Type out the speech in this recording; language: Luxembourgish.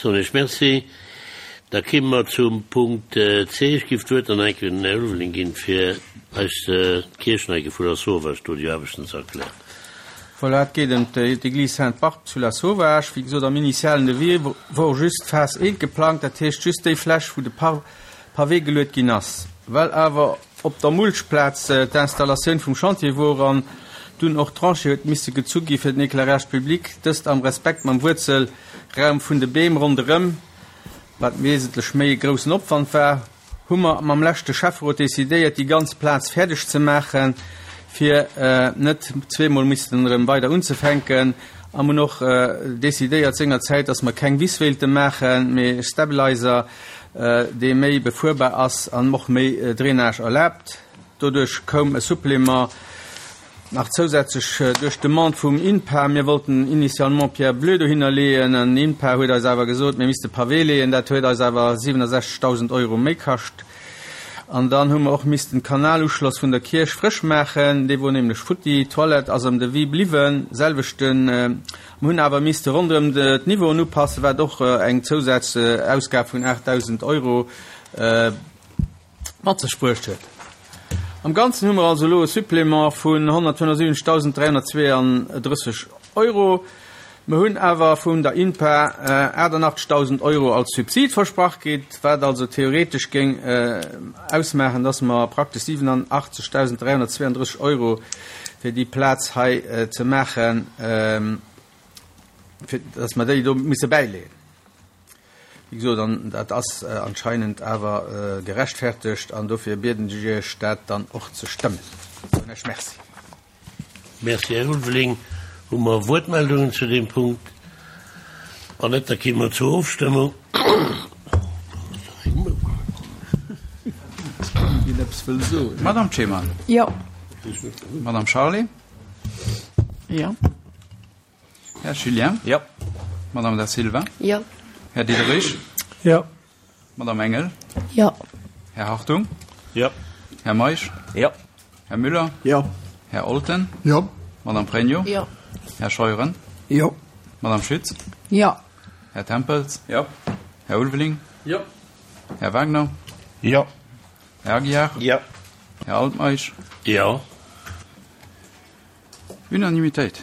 Soen ech Merci. Da kimme mer zum Punkt C. Ech giff d'Wuert dann enke den Här Ulveling ginn, fir eis d'Kierch nach enke vu Lasauvage do déi Aarbechten ze erklären. Voilà, et geet ëm d'Église Sainte-Barbe zu Lasauvage. Wéi gesot, am initialen Devis wor just d'Phas I geplangt, dat heescht just déi Fläch, wou de Pavé geluet ginn ass. Well awer op der Mulchplaz d'Installatioun vum Chantier wor an dunn och d'Tranchée huet misse gezu gi fir den Éclairage public, dëst am Respekt mam Wuerzelraum vun de Beem ronderëm, wat wesentlech méi e groussen Opwand war, hu mer mam leschte Schäfferot decidéiert, déi ganz Plaz fäerdeg ze maachen, fir net zweemol missten erëm weider unzefänken. A mer hunn och decidéiert sengerzäit, dass mer keng Wiss wéilte maachen, mee e Stabilizer, dee méi befuerbar ass an och méi Drainage erlaabt. Doduerch koum e Supplément Nach zousätzlech duerch d'Demande vum INPA, mir wollten initialement Pierre bleue dohinner leeën, an INPA huet eis awer gesot, mir misste Pavé leeën, dat huet eis awer 67.000 Euro méi kascht. An dann hu mer och missten d'Kanaluschloss vun der Kierch frësch maachen, dee wor nämlech futti. D'Toilette ass am Devis bliwwen, selwechten. Mer hunn awer misste ronderëm d'Niveauen upassen, wat och eng Zousazausgab vun 8.000 Euro mat sech bruecht huet. Am Ganzen hu mer also elo e Supplément vun 175.332 Euro. Mer hunn awer vun der INPA 88.000 Euro als Subsid versprach kritt, wat also theoretesch géing ausmaachen, dass mer praktesch 87.332 Euro fir déi Plaz hei ze maachen, fir dass mer déi do misse bäileeën. Wéi gesot, an dat ass anscheinend awer gerechtfertegt, an dofir bieden ech Iech, dat dann och ze stëmmen. Soen ech Merci. Merci, Här Ulveling. Hu mer Wuertmeldungen zu deem Punkt? Wann net, da gi mer zur Ofstëmmung. Madame Cheman. Jo. Madame Charlé. Jo. Här Julien. Jo. Madame Da Silva. Jo. Här Diderich. Jo. Madame Engel. Jo. Här Hartung. Jo. Här Meisch. Jo. Här Müller. Jo. Här Olten. Jo. Madame Pregno. Jo. Här Scheuren. Jo. Madame Schütz. Jo. Här Tempels. Jo. Här Ulveling. Jo. Här Wagner. Jo. Här Aguiar. Jo. Här Altmeisch. Jo. Unanimitéit.